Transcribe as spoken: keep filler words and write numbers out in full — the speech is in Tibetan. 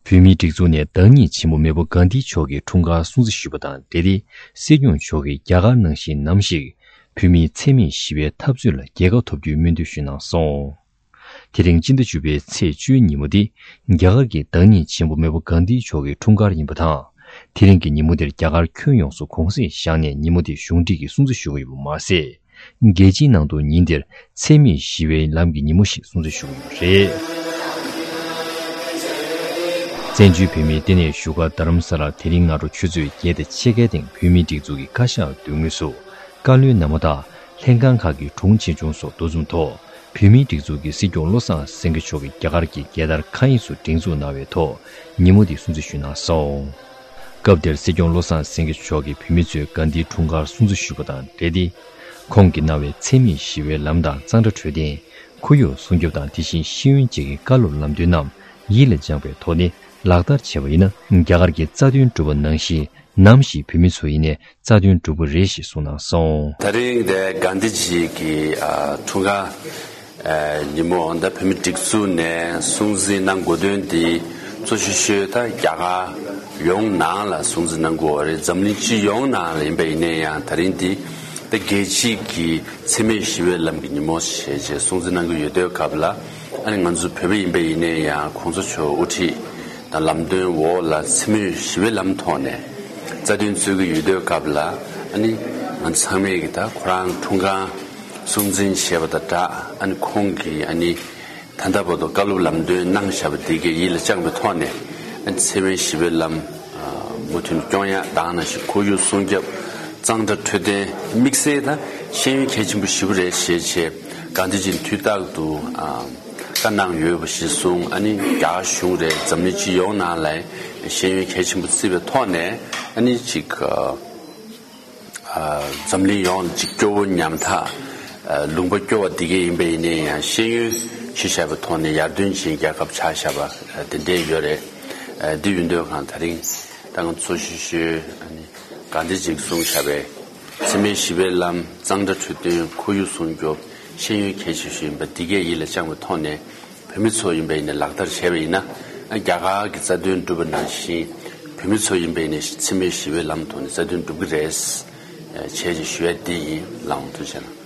བོད་མིའི་སྒྲིག་འཛུགས་ནས་བདག་ཉིད་ཆེན་པོ་མེས་པོ་གྷན་དྷི་མཆོག་གི་འཁྲུངས་སྐར་སྲུང་བརྩི་ཞུས་པ་དང་འབྲེལ་ཏེ། སྲིད་སྐྱོང་མཆོག་གིས་རྒྱ་གར་ནང་བཞིན་ནམ་ཞིག་བོད་མིའི་འཚེ་མེད་ཞི་བའི་འཐབ་རྩོད་ལ་རྒྱལ་ཁ་ཐོབ་རྒྱུའི་སྨོན་འདུན་ཞུས་གནང་སོང་། དེ་རིང་སྤྱི་ཟླ་བཅུ་པའི་ཚེས་བཅུའི་ཉིན་མོ་འདི་རྒྱ་གར་གྱི་བདག་ཉིད་ཆེན་པོ་མེས་པོ་གྷན་དྷི་མཆོག་གི་འཁྲུངས་སྐར་ཡིན་པ་དང་། དེ་རིང་གི་ཉིན་མོ་འདིར་རྒྱ་གར་ཁྱོན་ཡོངས་སུ་གུང་སེང་བཞག་ནས་ཉིན་མོ་འདི་གཞུང་འབྲེལ་གྱིས་སྲུང་བརྩི་ཞུ་གི་ཡོད་པ་མ་ཟད། རྒྱལ་སྤྱིའི་ནང་དུ་ཉིན་འདིར་འཚེ་མེད་ཞི་བའི་ལམ་གྱི་ཉིན་མོ་ཞེས་སྲུང་བརྩི་ཞུ་གི་ཡོད་པ་རེད། བཙན་བྱོལ་བོད་མིའི་ལྟེ་གནས་བཞུགས་སྒར་རྡ་རམ་ས་ལར་དེ་རིང་སྔ་དྲོ་ཆུ་ཚོད་བརྒྱད་དང་ཕྱེད་ཀའི་སྟེང་བོད་མིའི་སྒྲིག་འཛུགས་ཀྱི་བཀའ་ཤག་མདུན་ངོས་སུ། བཀའ་བློན་རྣམ་པ་དང་ལྷན་ཁང་ཁག་གི་དྲུང་ཆེ་ཆུང་སོགས་འདུ་འཛོམས་ཐོག་བོད་མིའི་སྒྲིག་འཛུགས་ཀྱི་སྲིད་སྐྱོང་བློ་བཟང་སེང་གེ་མཆོག་གིས་རྒྱ་གར་གྱི་རྒྱལ་དར་མཁའ་དབྱིངས་སུ་སྒྲེང་འཛུགས་གནང་བའི་ཐོག་ཉིན་མོ་འདི་སྲུང་བརྩི་ཞུས་གནང་སོང་། སྐབས་དེར་སྲིད་སྐྱོང་བློ་བཟང་སེང་གེ་མཆོག་གིས་བོད་མི་ཚོས་གྷན་དྷིའི་འཁྲུངས་སྐར་སྲུང་བརྩི་ཞུས་པ་དང་འབྲེལ་ཏེ། ཁོང་གིས་གནང་བའི་འཚེ་མེད་ཞི་བའི་ལམ་དང་གཙང་སྦྲ་འཕྲོད་བསྟེན། ཁོར་ཡུག་སྲུང་སྐྱོབ་དང་དེ་བཞིན་ཤེས་ཡོན་བཅས་ཀྱི་བཀའ་སློབ་ལམ་སྟོན་རྣམས་ཡིད་ལ་བཅངས་པའི་ཐོག་ནས་ལག་བསྟར་བྱས་པ་ཡིན་ན། རྒྱ་གར་གྱི་རྩ་དོན་སྒྲུབ་པ་ནང་བཞིན་ནམ་ཞིག་བོད་མི་ཚོ་ཡིན་ནའི་རྩ་དོན་སྒྲུབ་ཀྱི་རེད་ཞེས་གསུངས་གནང་སོང་། ད་རིང་དེ་གྷན་དྷི་ཇི་གི་ཨ་འཁྲུངས་སྐར་ཨ་ཉིན་མོ་ད་བོད་མི་སྒྲིག་འཛུགས་ནས་སྲུང་བརྩི་གནང་དགོས་དོན་དེ་གཙོ་ཆེ་ཤོས་ད་རྒྱ་གར་ཡོངས་ནང་ལ་སྲུང་བརྩི་གནང་དགོས་པ་རེད། འཛམ་གླིང་སྤྱི་ཡོངས་ནང་ལ་ཡིན་པ་ཡིན་ནའི་ཡང་ད་རིང་འདི་ད་རྒྱལ་སྤྱི་གི་འཚེ་མེད་ཞི་བའི་ལམ་གྱི་ཉིན་མོ་ཞེས་བྱས་སྲུང་བརྩི་གནང་གི་ཡོད་དུས་སྐབས་ལ། ཨ་ནི་ང་ཚོ་བོད་པ་ཡིན་པ་ཡིན་ནའི་ཡང་གོང་ས་མཆོག་དབུ་ཁྲིད་དང་ལམ་སྟོན་འོག་ལ་འཚེ་མེད་ཞི་བའི་ལམ་ཐོག་ནས་རྩ་དོན་རྩོད་ཀྱི་ཡོད་དུས་སྐབས་ལ། ཨ་ནི་ང་ཚོ་ཚང་མས་ཀྱི་ད་ཁོ་རང་འཁྲུངས་སྐར་སྲུང་བརྩི་བྱས་པ་དང་སྦྲགས། ཨ་ནི་ཁོང་གིས་ཨ་ནི་ད་ལྟ་བར་དུ་བཀའ་སློབ་ལམ་སྟོན་གནང་བཞག་པ་འདི་གའི་ཡིད་ལ་བཅངས་པའི་ཐོག་ནས། ཨ་ནི་འཚེ་མེད་ཞི་བའི་ལམ་མུ་མཐུད་སྐྱོང་ཡག་དང་ནང་བཞིན་ཁོར་ཡུག་སྲུང་སྐྱོབ་གཙང་སྦྲ་འཕྲོད་བསྟེན་དམིགས་བསལ་དང་ཤེས་ཡོན་གལ་ཆེན་པོ་ཞེ་པོ་རེད་ཞེས་བྱས་གྷན་དྷི་ཇིས་དུས་རྟག་ཏུ་ཨ་བཀའ་གནང་ཡོད་པ་ཞིག་གསུངས། ཨ་ནི་རྒྱ་གཞུང་རེད། འཛམ་གླིང་སྤྱི་ཡོངས་ནང་ལ་ཤེས་ཡོན་གལ་ཆེན་པོ་བརྩི་བའི་ཐོག་ནས། ཨ་ནི་ཅིག་ཨ་འཛམ་གླིང་ཡོངས་ལ་ཅིག་སྐྱོ་བོ་ཉམ་ཐག་ཨ་ལུང་པ་སྐྱོ་བ་འདི་གས་ཡིན་པ་ཡིན་ནའི་ཡང་ཤེས་ཡོན་ཞུ་བཞག་པའི་ཐོག་ནས་ཡར་ཐོན་ཅན་རྒྱལ་ཁབ་ཆགས་བཞག་པ་ཨ་དེ་འདྲས་ཡོད་རེད། ཨ་འདི་ཡིན་དུས་གང་ད་རིང་ད་ང་ཚོ་ཤི་ཤོས་ཨ་ནི་གྷན་དྷི་ཇིས་གསུངས་བཞག་པའི་འཚེ་མེད་ཞི་བའི་ལམ། གཙང་སྦྲ་འཕྲོད་བསྟེན། ཁོར་ཡུག་སྲུང་སྐྱོབ། ཤེས་ཡོན་གལ་ཆེ་ཤོས་ཡིན་པ་འདི་གས་ཡིད་ལ་བཅངས་པའི་ཐོག་ནས། བོད་མི་ཚོ་ཡིན་པ་ཡིན་ན་ལག་བསྟར་བྱས་པ་ཡིན་ན། ཨ་རྒྱ་གར་གྱི་རྩ་དོན་སྒྲུབ་པ་ནང་བཞིན་བོད་མི་ཚོ་ཡིན་པ་ཡིན་ན་འཚེ་མེད་ཞི་བའི་ལམ་ཐོག་ནས་རྩ་དོན་སྒྲུབ་ཀྱི་རེད། ཨ་བྱས་ཅེས་ཞུ་ཡ་འདི་ཡིན། ལགས་འོང་། ཐུགས་རྗེ་གནང་།